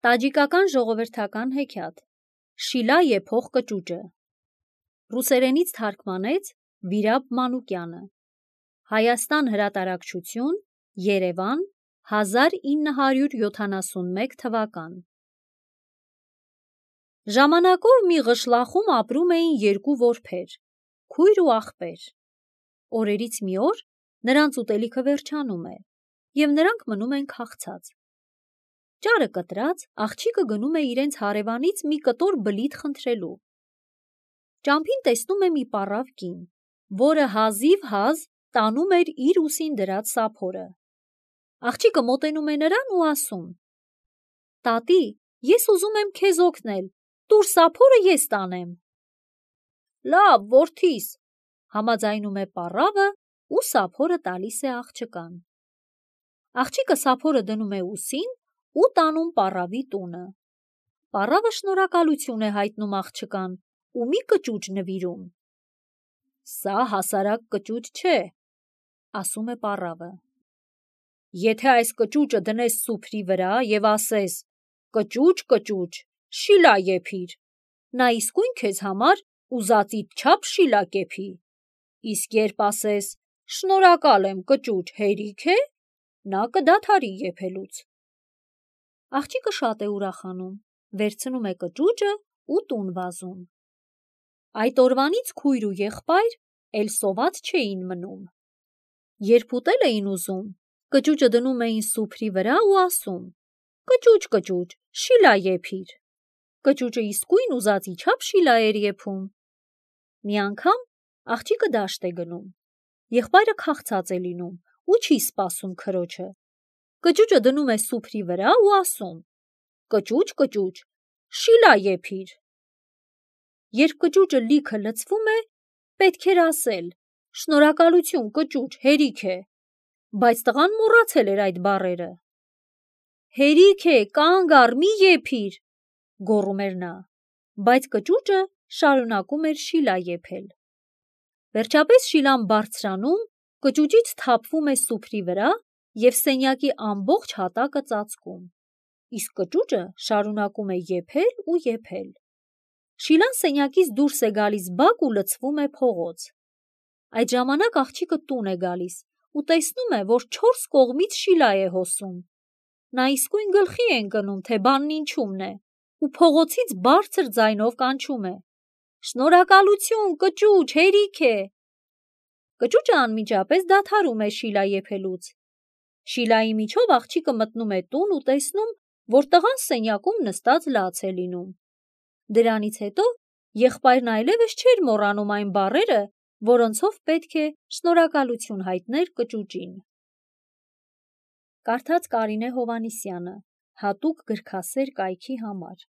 Տաջիկական ժողովրդական հեքիաթ Շիլա եփող կճուճը Ռուսերենից թարգմանեց Վիրաբ Մանուկյանը Հայաստան հրատարակչություն Երևան 1971 թվական Ժամանակով մի ղշլախում ապրում էին երկու որբեր, քույր ու աղբեր։ Օրերից մի օր նրանց ուտելիքը վերջանում է, և նրանք մնում են քաղցած։ Ճարը կտրած, աղջիկը գնում է իրենց հարևանից մի կտոր բլիթ խնդրելու։ Ճամփին տեսնում է մի պառավ կին, որը հազիվ-հազ տանում էր իր ուսին դրած սափորը։ Աղջիկը մոտենում է նրան ու ասում. «Տատի, ես ուզում եմ քեզ օգնել, տուր սափորը ես տանեմ»։ «Լավ, որդիս», համաձայնում է պառավը ու սափորը տալիս է աղջկան։ Աղջիկը սափորը դնում է ուսին ու տանում պառավի տունը։ Պառավը շնորհակալություն է հայտնում աղջկան ու մի կճուճ նվիրում։ «Սա հասարակ կճուճ չէ», ասում է պառավը։ «Եթե այս կճուճը դնես սուփրի վրա և ասես. «Կճուճ, կճուճ, շիլա եփիր», նա իսկույն քեզ համար ուզածիդ չափ շիլա կեփի։ Իսկ երբ ասես. «Շնորհակալ եմ, կճուճ, հերիք է», նա կդադարի եփելուց»։ Աղջիկը շատ է ուրախանում, վերցնում է կճուճը ու տուն վազում։ Այդ օրվանից քույր ու եղբայր էլ սոված չէին մնում։ Երբ ուտել էին ուզում, կճուճը դնում էին սուփրի վրա ու ասում. «Կճուճ, կճուճ, շիլա եփիր»։ Կճուճը իսկույն ուզածի չափ շիլա էր եփում։ Մի անգամ աղջիկը դաշտ է գնում։ Եղբայրը քաղցած է լինում ու չի սպասում քրոջը։ Կճուճը դնում է սուփրի վրա ու ասում. «Կճուճ, կճուճ, շիլա եփիր»։ Երբ կճուճը լիքը լցվում է, պետք էր ասել. «Շնորհակալություն, կճուճ, հերիք է», բայց տղան մոռացել էր այդ բառերը։ «Հերիք է, կանգ առ, մի եփիր», գոռում էր նա, բայց կճուճը շարունակում էր շիլա եփել։ Վերջապես շիլան բարձրանում, կճուճից թափվում է սուփրի վրա և սենյակի ամբողջ հատակը ծածկում, իսկ կճուճը շարունակում է եփել ու եփել։ Շիլան սենյակից դուրս է գալիս բակ ու լցվում է փողոց։ Այդ ժամանակ աղջիկը տուն է գալիս ու տեսնում է, որ 4 կողմից շիլա է հոսում։ Նա իսկույն գլխի է ընկնում, թե բանն ինչումն է, ու փողոցից բարձր ձայնով կանչում է. «Շնորհակալություն, կճուճ, հերիք է»։ Կճուճը անմիջապես դադարում է շիլա եփելուց։ Շիլայի միջով աղջիկը մտնում է տուն ու տեսնում, որ տղան սենյակում նստած լաց է լինում։ Դրանից հետո եղբայրն այլևս չէր մոռանում այն բառերը, որոնցով պետք է շնորհակալություն հայտներ կճուճին։ Կարդաց Կարինե Հովհաննիսյանը, հատուկ գրքասեր կայքի համար։